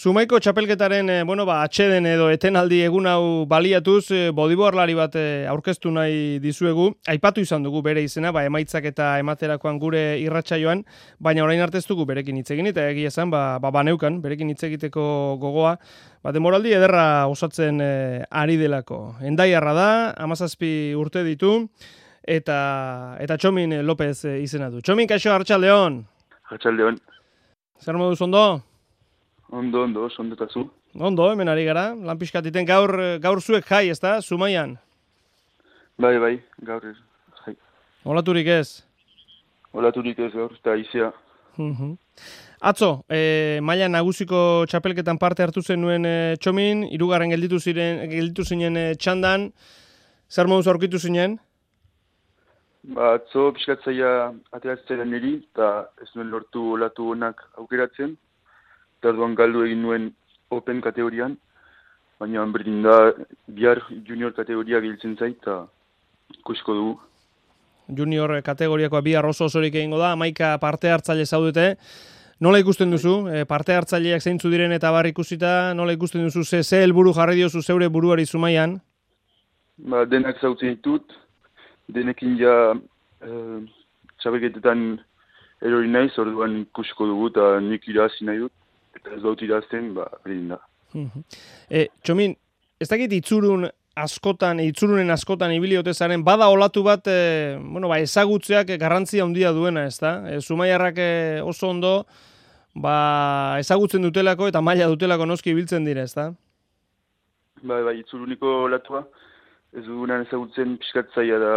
Zumaiko txapelketaren, atxeden edo etenaldi egun hau baliatuz, bodiborlari bat aurkeztu nahi dizuegu. Aipatu izan dugu bere izena, emaitzak eta ematerakoan gure irratsaioan, baina orain arte ez dugu berekin hitz egin, eta egia esan, baneukan, berekin hitz egiteko gogoa, demoraldi ederra osatzen ari delako. Endaiarra da, 17 urte ditu, eta Txomin Lopez izena du. Txomin, kaixo, Arratsaldeon. Arratsaldeon. Zer moduz ondo? Ondo, ondetazu. Ondo, hemen ari gara. Lan pixkatiten gaur zuek jai, ezta? Zumaian. Bai, gaur jai. Olaturik ez? Olaturik ez gaur, eta izia. Atzo, maila nagusiko txapelketan parte hartu zenuen Txomin, 3. gelditu zinen txandan. Zer moduz aurkitu zinen? Atzo pixkatzaia ateratzen niri, eta ez nuen lortu olatu honak aukeratzen. Eta orduan galdu egin nuen Open kategorian, baina berdin da bihar junior kategoria giltzen zait, eta ikusiko dugu. Junior kategoriakoa bihar osorik egingo da, 11 parte hartzaile zaudete. Nola ikusten duzu? Parte hartzaileak zeintzu diren eta bar ikusita, nola ikusten duzu? Ze helburu jarri diozu zeure buruari Zumaian? Denak zautzen ditut, denekin ja txapelketetan erori naiz, orduan ikusiko dugu eta nik irazi nahi dut. Eta ez dut irazten, berdin da. Txomin, ez dakit itzurunen askotan ibili ote zaren, bada olatu bat, ezagutzeak garrantzia handia duena, ez da? Zumaiarrak oso ondo, ezagutzen dutelako eta maila dutelako noski ibiltzen dira, ez da? Bai, itzuruniko olatua, ez dugunan ezagutzen pixkatzaia da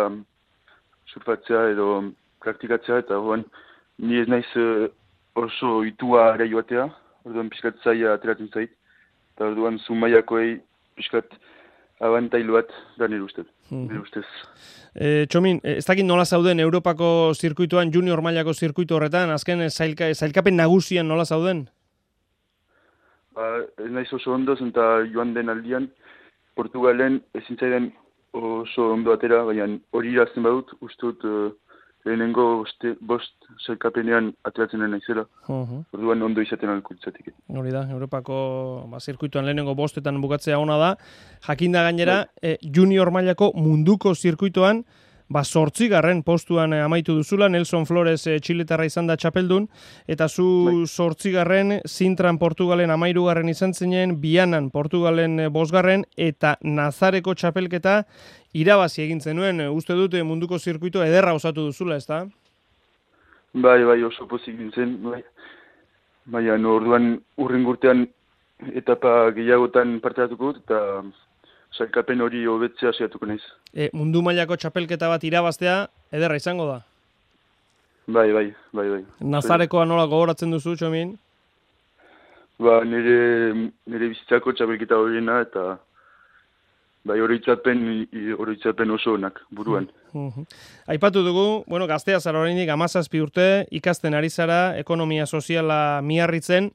surfatzea edo praktikatzea, eta ni ez naiz oso itua ere joatea, orduan pixkat zaila ateratzen zait, eta orduan Zumaiakoei pixkat abantailu bat da nire ustez. Txomin, ez dakit nola zauden Europako zirkuituan, junior mailako zirkuitu horretan, azken zailkapen nagusian nola zauden? Ez naiz oso ondo, eta joan den aldian, Portugalen ezin zaidan oso ondo atera, baina hori irazten badut, ustut lehenengo bost zailkapenean ateratzen naizela. Orduan ondo izaten alkultzatik. Hori da, Europako zirkuituan lehenengo bostetan bukatzea ona da. Jakinda gainera, junior mailako munduko zirkuituan, 8. postuan amaitu duzula, Nelson Flores txiletarra izan da txapeldun, eta zu 8. Sintran Portugalen 13. izan zinen, Bianan Portugalen 5. eta Nazareko txapelketa irabazi egin zenuen. Uste dut munduko zirkuito ederra osatu duzula, ez da? Bai, oso pozik gintzen, bai. Baina orduan urrengurtean etapa gehiagotan parte hartuko dut, eta sailkapen hori hobetzea saiatuko naiz. Mundu mailako txapelketa bat irabaztea ederra izango da? Bai. Nazarekoa nola gogoratzen duzu, Txomin? Nire bizitzako txapelketa horiena, eta oroitzapen oso onak buruan. Aipatu dugu, gaztea zara oraindik 17 urte, ikasten ari zara, ekonomia soziala Miarritzen,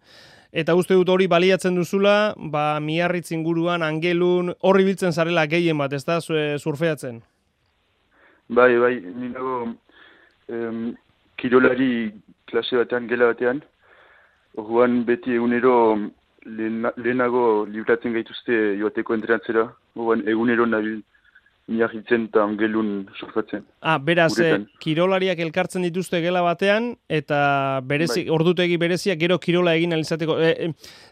eta uste dut hori baliatzen duzula, Miarritz inguruan, Angelun, horri biltzen zarela gehien bat, ez da, surfeatzen? Bai, ninago kirolari klase batean, gela batean, orduan beti egunero lehenago libratzen gaituzte joateko entrenatzera, orduan egunero nabil Miarritzen eta Angelun surfatzen. Beraz, kirolariak elkartzen dituzte gela batean, eta ordutegi bereziak gero kirola egin alizateko.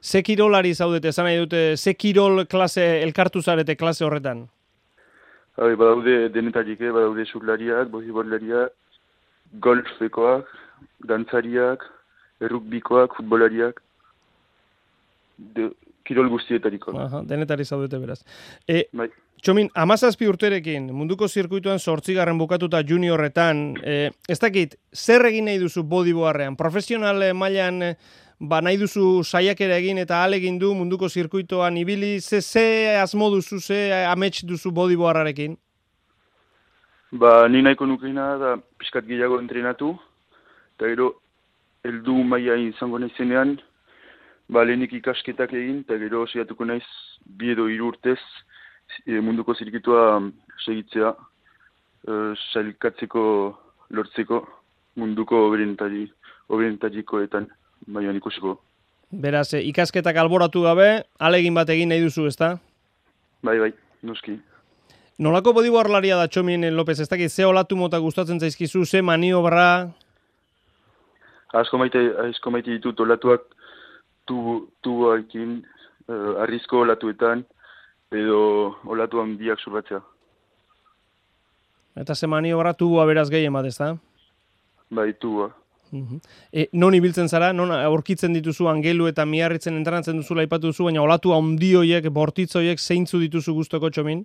Ze kirolari zaudete, esan nahi dute, ze kirol klase elkartu zarete klase horretan? Badaude denetarik, badaude surlariak, boliborlariak, golfekoak, dantzariak, errukbikoak, futbolariak, kirol guztietariko. Denetari zaudete beraz. Bai. Txomin, 17 urterekin, munduko zirkuituan 8. bukatuta juniorretan, ez dakit, zer egin nahi duzu bodiboarrean? Profesional mailan nahi duzu saiakera egin eta alegin du munduko zirkuituan ibili, ze asmo duzu, ze amets duzu bodiboarrarekin? Ni nahiko nukeina da pixkat gehiago entrenatu, eta gero heldu maila izango naizenean, lehenik ikasketak egin, eta gero saiatuko naiz 2 edo 3 urtez munduko zirkuitua segitzea, sailkatzeko lortzeko munduko oberentarikoetan, baina ikusiko. Beraz, ikasketak alboratu gabe, alegin bat egin nahi duzu, ezta? Bai, noski. Nolako bodiborlaria da Txomin Lopez, ez dakit, ze olatu mota gustatzen zaizkizu, ze maniobra? Asko maite ditut olatuak tuboekin, arrizko olatuetan, edo olatu handiak surbatzea. Eta ze maniobra tuboa beraz gehien bat, ezta? Bai, tuboa. Non ibiltzen zara, non aurkitzen dituzu angelu eta miarritzen entrenatzen duzula aipatu duzu, baina olatu handi hoiek, bortitz hoiek zeintzu dituzu gustoko Txomin?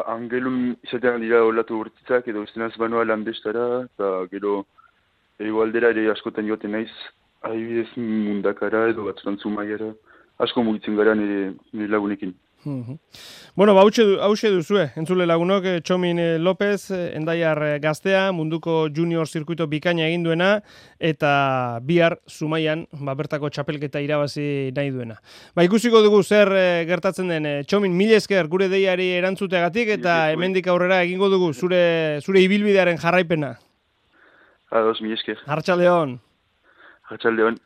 Angelun izatean dira olatu bortitzak edo estenaz banoa landestara, eta gero egoaldera ere askotan joaten naiz, adibidez Mundakara edo batzutan Zumaiara, asko mugitzen gara nire lagunekin. Bueno, hauxe duzue, entzule lagunok, Txomin Lopez, Hendaiar gaztea, munduko junior zirkuito bikaina egin duena, eta bihar Zumaian bertako txapelketa irabazi nahi duena. Ikusiko dugu zer gertatzen den. Txomin, mila esker gure deiari erantzuteagatik, eta hemendik aurrera egingo dugu zure ibilbidearen jarraipena. Ados, mila esker. Arratsaldeon. Arratsaldeon.